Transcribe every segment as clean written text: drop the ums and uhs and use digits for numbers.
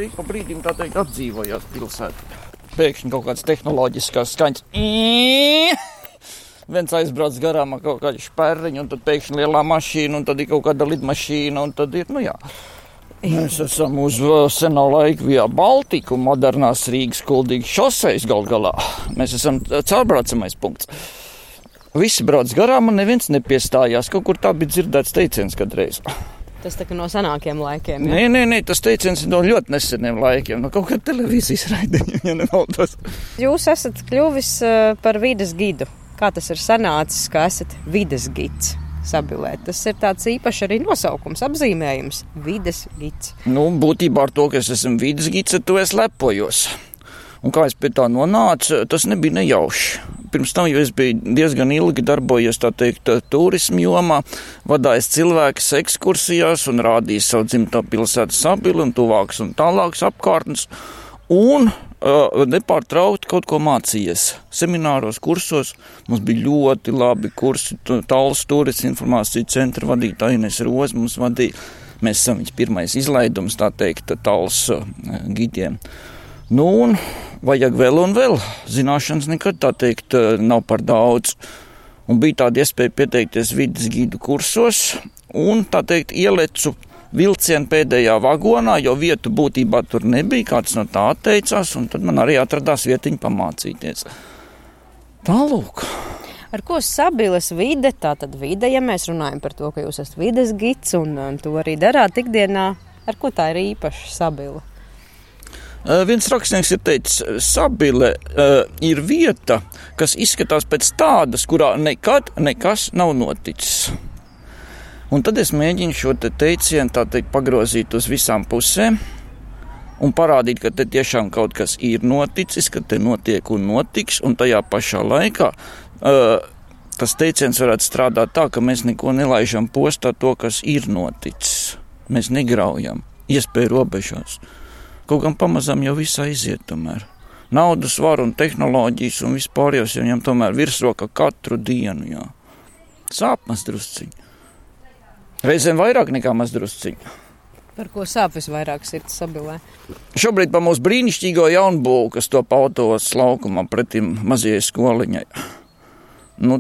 ik pa brīdim tā teikt atdzīvojās pilsētā. Pēkšņi kaut kāds tehnoloģiskās skaņas. Viens aizbrauc garām ar kaut kādu šperriņu, un tad pēkšņi lielā mašīna, un tad ir kaut kāda lidmašīna, un tad ir, Mēs esam uz senā laika Via Baltica, modernās Rīgas Kuldīgas šosejas gal galā. Mēs esam caurbraucamais punkts. Visi brauc garām un neviens nepiestājās. Kaut kur tā bija dzirdēts teiciens kādreiz. Tas tā kā no senākiem laikiem, ja? Nē, tas teiciens ir no ļoti neseniem laikiem. No kaut kā televīzijas raidījuma, ja nemaldos. Jūs esat kļuvis par vides gidu. Kā tas ir sanācis, ka esat vides gids Sabilē? Tas ir tāds īpašs arī nosaukums, apzīmējums – vides gids. Būtībā ar to, ka es esmu vides gids, ar to es lepojos. Un kā es pie tā nonācu, tas nebija nejauši. Pirms tam, jo es biju diezgan ilgi darbojies, tā teikt, turismu jomā, vadājis cilvēkus ekskursijās un rādījis savu dzimto pilsētu Sabili un tuvākas un tālākas apkārtnes. Un nepārtraukti kaut ko mācījies. Semināros, kursos mums bija ļoti labi kursi. Tallas turismu informāciju centra vadītāja Ines Roze mums vadīja. Mēs esam viņas pirmais izlaidums, tā teikt, Tallas gidiem. Un vajag vēl un vēl. Zināšanas nekad, tā teikt, nav par daudz. Un bija tāda iespēja pieteikties vides gidu kursos un, tā teikt, ielecu vilcienu pēdējā vagonā, jo vietu būtībā tur nebija, kāds no tā atteicās, un tad man arī atradās vietiņa pamācīties. Tālūk. Ar ko Sabiles vide, tātad vide, ja mēs runājam par to, ka jūs esat vides gids un to arī darāt ikdienā, ar ko tā ir īpaša Sabile? Viens rakstnieks ir teicis, Sabile ir vieta, kas izskatās pēc tādas, kurā nekad nekas nav noticis. Un tad es mēģinu šo teicienu, tā teikt, pagrozīt uz visām pusēm un parādīt, ka te tiešām kaut kas ir noticis, ka te notiek un notiks, un tajā pašā laikā tas teiciens varētu strādāt tā, ka mēs neko nelaižam postā to, kas ir noticis. Mēs negraujam iespēju robežās. Kaut gan pamazām jau viss aiziet tomēr. Naudas var un tehnoloģijas un vispārējos jau viņam tomēr virsroka katru dienu, jā. Sāp maz drusciņi. Reizēm vairāk nekā maz drusciņi. Par ko sāp visvairāk sirds Sabilē? Šobrīd pa mūsu brīnišķīgo jaunbūvu, kas top autos laukumā pretim mazajai skoliņai.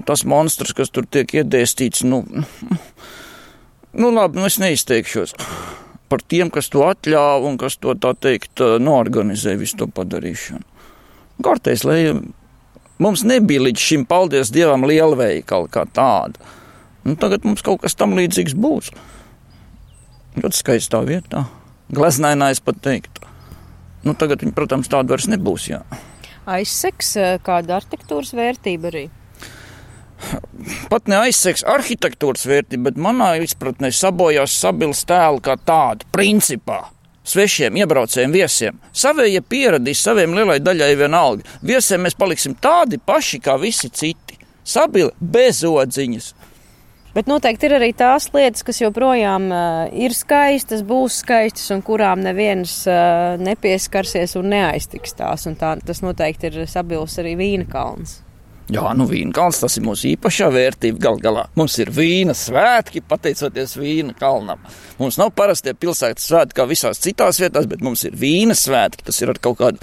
Tas monstrs, kas tur tiek iedēstīts, labi, es neizteikšos par tiem, kas to atļāva un kas to, tā teikt, noorganizē visu to padarīšanu. Kārtēs, lai mums nebija līdz šim, paldies Dievam, lielveikali kā tāda. Tagad mums kaut kas tam līdzīgs būs. Ļoti skaistā vietā. Gleznainā es pat teiktu. Tagad viņi, protams, tāda vairs nebūs, jā. Aizsegs kāda arhitektūras vērtība arī? Pat ne aizsegs arhitektūras vērtība, bet manā izpratnē sabojās Sabiles tēlu kā tādu, principā. Svešiem, iebraucējiem, viesiem. Savējie pieradīs, saviem lielai daļai vienalga. Viesiem mēs paliksim tādi paši kā visi citi. Sabile bez odziņas. Bet noteikti ir arī tās lietas, kas joprojām ir skaistas, būs skaistas un kurām neviens nepieskarsies un neaiztiks tās. Un tas noteikti ir Sabiles arī vīna kalns. Jā, vīna kalns, tas ir mūsu īpašā vērtība gal galā. Mums ir vīna svētki, pateicoties vīna kalnam. Mums nav parastie pilsētas svētki kā visās citās vietās, bet mums ir vīna svētki. Tas ir ar kaut kādu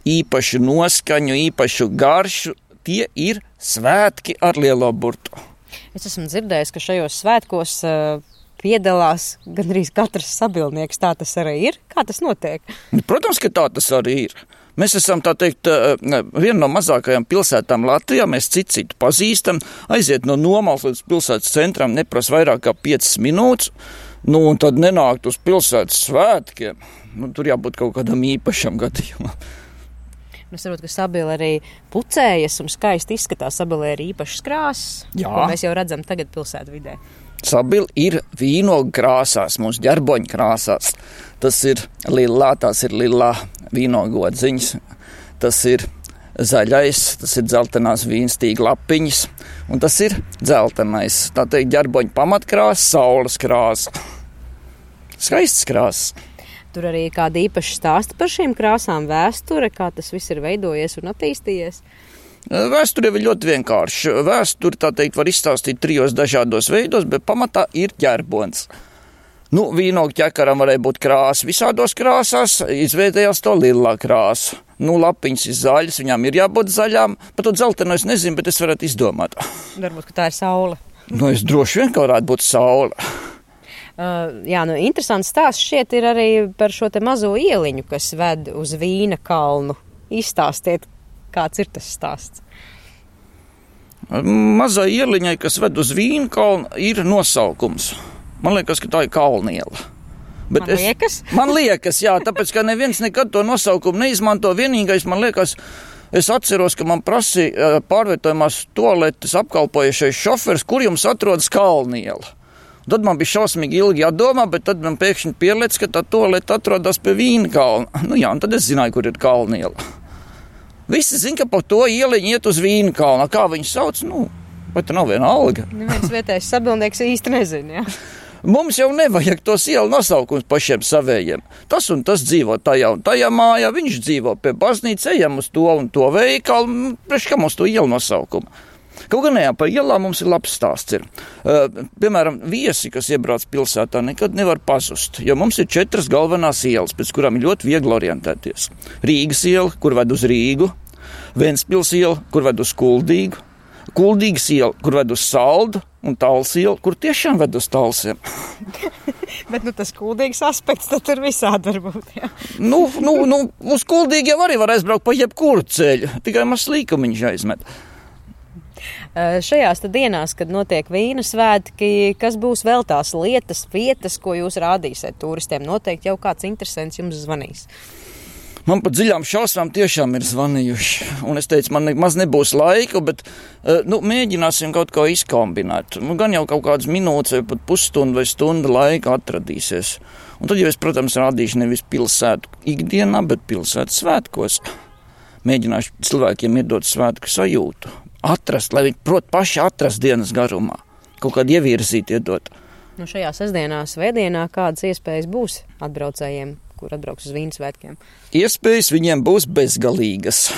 īpašu noskaņu, īpašu garšu. Tie ir svētki ar lielo burtu. Es esmu dzirdējis, ka šajos svētkos piedalās gandrīz katrs sabilnieks. Tā tas arī ir? Kā tas notiek? Protams, ka tā tas arī ir. Mēs esam, tā teikt, viena no mazākajām pilsētām Latvijā. Mēs citu pazīstam. Aiziet no Nomals līdz pilsētas centram neprasa vairāk kā 5 minūtes. Un tad nenākt uz pilsētas svētkiem. Tur jābūt kaut kādam īpašam gadījumam. Es saprotu, ka Sabile arī pucējas un skaisti izskatās. Sabile ir īpašas krāsas, ko mēs jau redzam tagad pilsētu vidē. Sabile ir vīnogu krāsās, mūsu ģerboņu krāsās. Tas ir lilā, tās ir lilā vīnogu odziņas. Tas ir zaļais, tas ir dzeltenās vīnstīga lapiņas. Un tas ir dzeltenais, tā teikt, ģerboņu pamatkrāsa, saules krāsa. Skaists krāsas. Tur arī kāda īpaša stāsta par šīm krāsām, vēsture, kā tas viss ir veidojies un attīstījies? Vēsture ir ļoti vienkārši. Vēsture, tā teikt, var izstāstīt 3 dažādos veidos, bet pamatā ir ģerbons. Nu, vīnogu ķekaram varēja būt krāsa visādos krāsās, izveidējās to lilā krāsa. Nu, lapiņas ir zaļas, viņām ir jābūt zaļām, pat to dzeltenu es nezinu, bet es varētu izdomāt. Varbūt, ka tā ir saule. Nu, es droši vien, ka varētu būt saule. Jā, nu, interesants stāsts šķiet ir arī par šo te mazo ieliņu, kas ved uz Vīna kalnu. Izstāstiet, kāds ir tas stāsts? Mazai ieliņai, kas ved uz Vīna kalnu, ir nosaukums. Man liekas, ka tā ir Kalniela. Bet man liekas, jā, tāpēc, ka neviens nekad to nosaukumu neizmanto. Vienīgais, man liekas, es atceros, ka man prasīja pārvietojumās toaletes apkalpojušais šofers, kur jums atrodas Kalniela. Tad man bija šausmīgi ilgi jādomā, bet tad man pēkšņi pielēc, ka tā toalete atrodas pie Vīna kalna. Nu jā, un tad es zināju, kur ir Kalniela. Visi zina, ka pa to ieliņu iet uz Vīna kalna. Kā viņi sauc? Nu, vai tā nav viena alga? Neviens vietējais sabildnieks īsti nezina, jā. Mums jau nevajag tos ielu nosaukums pašiem savējiem. Tas un tas dzīvo tajā un tajā mājā, viņš dzīvo pie baznīca, ejam uz to un to veikalu, priekš kā mums to ielu nosaukumu. Kaut gan jā, par ielām mums ir labs stāsts. Piemēram, viesi, kas iebrauc pilsētā, nekad nevar pazust, jo mums ir 4 galvenās ielas, pēc kurām ir ļoti viegli orientēties. Rīgas iela, kur ved uz Rīgu, Ventspils iela, kur ved uz Kuldīgu, Kuldīgas iela, kur ved uz Saldu, un Tals iela, kur tiešām ved uz Talsiem. Bet tas kuldīgs aspekts tad ir visādi varbūt, jā. Nu, uz Kuldīgi jau arī var aizbraukt pa jebkuru ceļu, tikai maz līkumiņš aizmet. Šajās dienās, kad notiek Vīna svētki, kas būs vēl tās lietas, vietas, ko jūs rādīsiet turistiem? Noteikti jau kāds interesants jums zvanīs. Man pat dziļām šausmām tiešām ir zvanījuši. Un es teicu, man maz nebūs laika, bet mēģināsim kaut ko izkombinēt. Gan jau kaut kādas minūtes vai pat pusstundu vai stunda laika atradīsies. Un tad jau es, protams, rādīšu nevis pilsētu ikdienā, bet pilsētu svētkos. Mēģināšu cilvēkiem iedot svētku sajūtu. Atrast, lai viņi prot paši atrast dienas garumā. Kaut kādu ievirzīt iedot. Nu šajā sestdienā, svētdienā kādas iespējas būs atbraucējiem, kur atbrauks uz Vīna svētkiem? Iespējas viņiem būs bezgalīgas.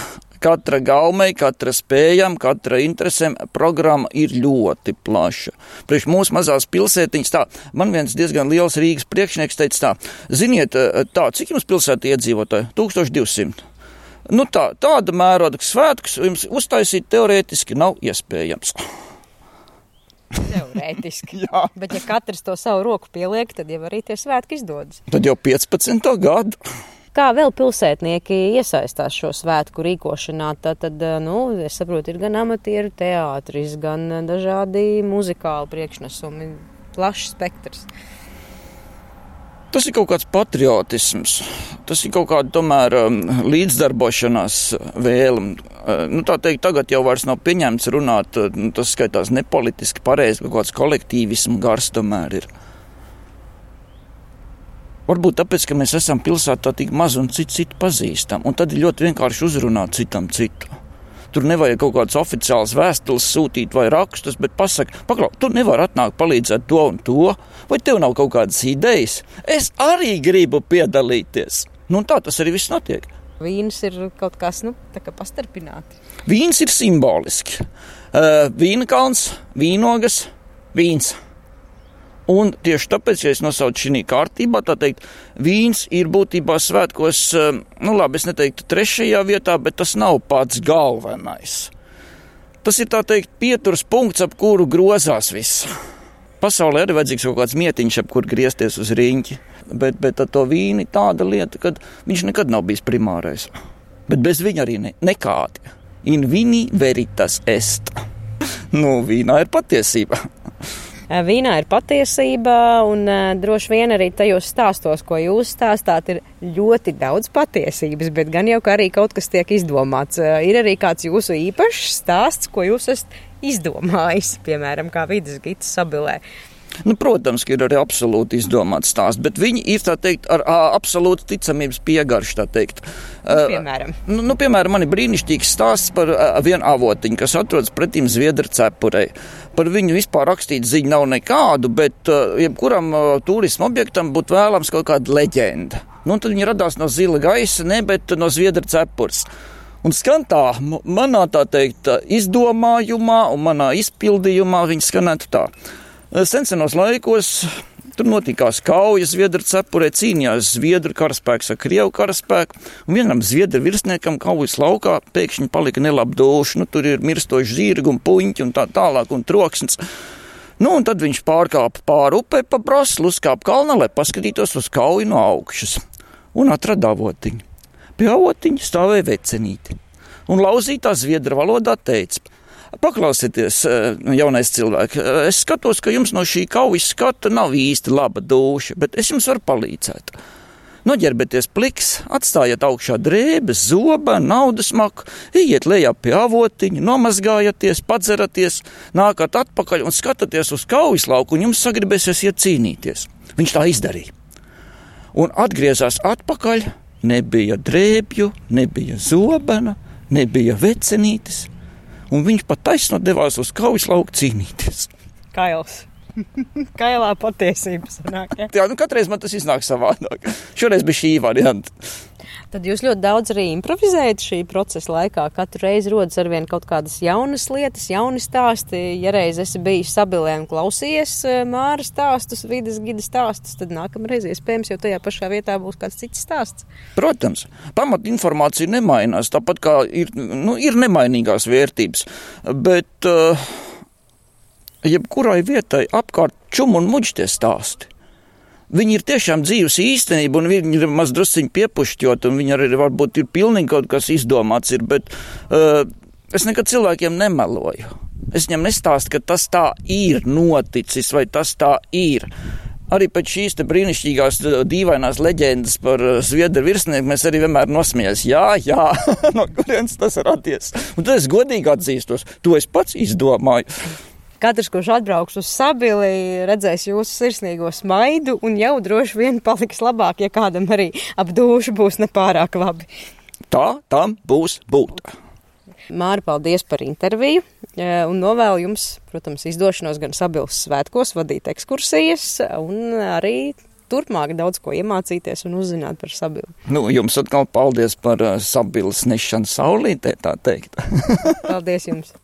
Katra gaumei, katra spējam, katra interesēm programma ir ļoti plaša. Priekš mūsu mazās pilsētiņas tā, man viens diezgan liels Rīgas priekšnieks teica tā, ziniet, tā, cik jums pilsēta iedzīvotāji? 1200. Nu tāda mēroda svētkus jums uztaisīt teorētiski nav iespējams. Teorētiski. Jā. Bet ja katrs to savu roku pieliek, tad jau arī tie svētki izdodas. Tad jau 15. gadu. Kā vēl pilsētnieki iesaistās šo svētku rīkošanā? Tad, es saprotu, ir gan amatieru teātris, gan dažādi muzikāli priekšnesumi, plašs spektrs. Tas ir kaut kāds patriotisms, tas ir kaut kāda tomēr līdzdarbošanās vēlme. Tā teikt, tagad jau vairs nav pieņemts runāt, tas skaitās nepolitiski pareizi, kaut kāds kolektīvismu gars tomēr ir. Varbūt tāpēc, ka mēs esam pilsētā tik maz un citu pazīstam, un tad ir ļoti vienkārši uzrunāt citam citu. Tur nevajag kaut kādas oficiālas vēstules sūtīt vai rakstus, bet pasaka, paklau, tu nevari atnākt palīdzēt to un to, vai tev nav kaut kādas idejas? Es arī gribu piedalīties. Nu, un tā tas arī viss notiek. Vīns ir kaut kas, tā kā pastarpināti. Vīns ir simboliski. Vīna kalns, vīnogas, vīns. Un tieši tāpēc, ja es nosaucu šī kārtībā, tā teikt, vīns ir būtībā svētkos, es neteiktu 3. vietā, bet tas nav pats galvenais. Tas ir, tā teikt, pieturas punkts, ap kuru grozās viss. Pasaulē arī vajadzīgs kaut kāds mietiņš, ap kur griezties uz riņķi, bet ar to vīni tāda lieta, kad viņš nekad nav bijis primārais. Bet bez viņa arī nekādi. In vini veritas est. Vīnā ir patiesība. Vīnā ir patiesība, un droši vien arī tajos stāstos, ko jūs stāstāt, ir ļoti daudz patiesības, bet gan jau, ka arī kaut kas tiek izdomāts. Ir arī kāds jūsu īpašs stāsts, ko jūs esat izdomājis, piemēram, kā vides gids Sabilē. Protams, ka ir arī absolūti izdomāts stāsts, bet viņi ir, tā teikt, ar absolūti ticamības piegaršu, tā teikt. Piemēram? Piemēram, man ir brīnišķīgs stāsts par vienu avotiņu, kas atrodas pretīm Zviedra cepurei. Par viņu vispār rakstīt ziņu nav nekādu, bet jebkuram turismu objektam būtu vēlams kaut kāda leģenda. Tad viņi radās no zila gaisa, bet no Zviedra cepures. Un skan tā, manā, tā teikt, izdomājumā un manā izpildījumā viņi skanētu tā. Senos laikos Tur notikās kaujas Zviedru cepurē, cīnījās Zviedru karaspēks ar Krievu karaspēku, un vienam Zviedru virsniekam kaujas laukā pēkšņi palika nelabdūši. Tur ir mirstoši zirgi un puņķi un tā tālāk un troksnis. Un tad viņš pārkāpa pāri upē pa braslu, uzkāpa kalnā, lai paskatītos uz kauju no augšas. Un atrada avotiņu. Pie avotiņa stāvēja vecenīti. Un lauzītā zviedru valodā teica: paklausieties, jaunais cilvēks, es skatos, ka jums no šī kaujas skata nav īsti laba dūša, bet es jums varu palīdzēt. Noģerbieties pliks, atstājiet augšā drēbes, zobenu, naudas maku, iet lejā pie avotiņa, nomazgājaties, padzeraties, nākat atpakaļ un skatāties uz kaujas lauku, un jums sagribēsies iet cīnīties. Viņš tā izdarīja. Un atgriezās atpakaļ, nebija drēbju, nebija zobena, nebija vecenītes, un viņš pat taisnot devās uz kaujas lauku cīnīties. Kails. Kailā patiesība sanāk, ja? Jā, katreiz man tas iznāk savādāk. Šoreiz bija šī varianta. Tad jūs ļoti daudz arī improvizējat šī procesa laikā. Katru reizi rodas arvien kaut kādas jaunas lietas, jauni stāsti. Ja reiz esi bijis Sabilē un klausījies Māra stāstus, vides gida stāstus, tad nākamreiz iespējams jau tajā pašā vietā būs kāds cits stāsts. Protams, pamat informācija nemainās, tāpat kā ir nemainīgās vērtības, bet jebkurai vietai apkārt čum un muģi tie stāsti. Viņi ir tiešām dzīves īstenība, un viņi ir maz drusciņi piepušķot, un viņi arī varbūt ir pilnīgi kaut kas izdomāts ir, bet es nekad cilvēkiem nemeloju. Es viņam nestāstu, ka tas tā ir noticis, vai tas tā ir. Arī pēc šīs te brīnišķīgās dīvainās leģendas par zviedru virsnieku mēs arī vienmēr nosmējās. Jā, no kurienes tas radies. Un tad es godīgi atzīstos, to es pats izdomāju. Katrs, kurš atbrauks uz Sabili, redzēs jūsu sirsnīgo smaidu un jau droši vien paliks labāk, ja kādam arī ap dūšu būs nepārāk labi. Tā tam būs būt. Māra, paldies par interviju un novēlu jums, protams, izdošanos gan Sabiles svētkos, vadīt ekskursijas un arī turpmāk daudz ko iemācīties un uzzināt par Sabili. Jums atkal paldies par Sabiles nešanu saulītē, tā teikt. Paldies jums!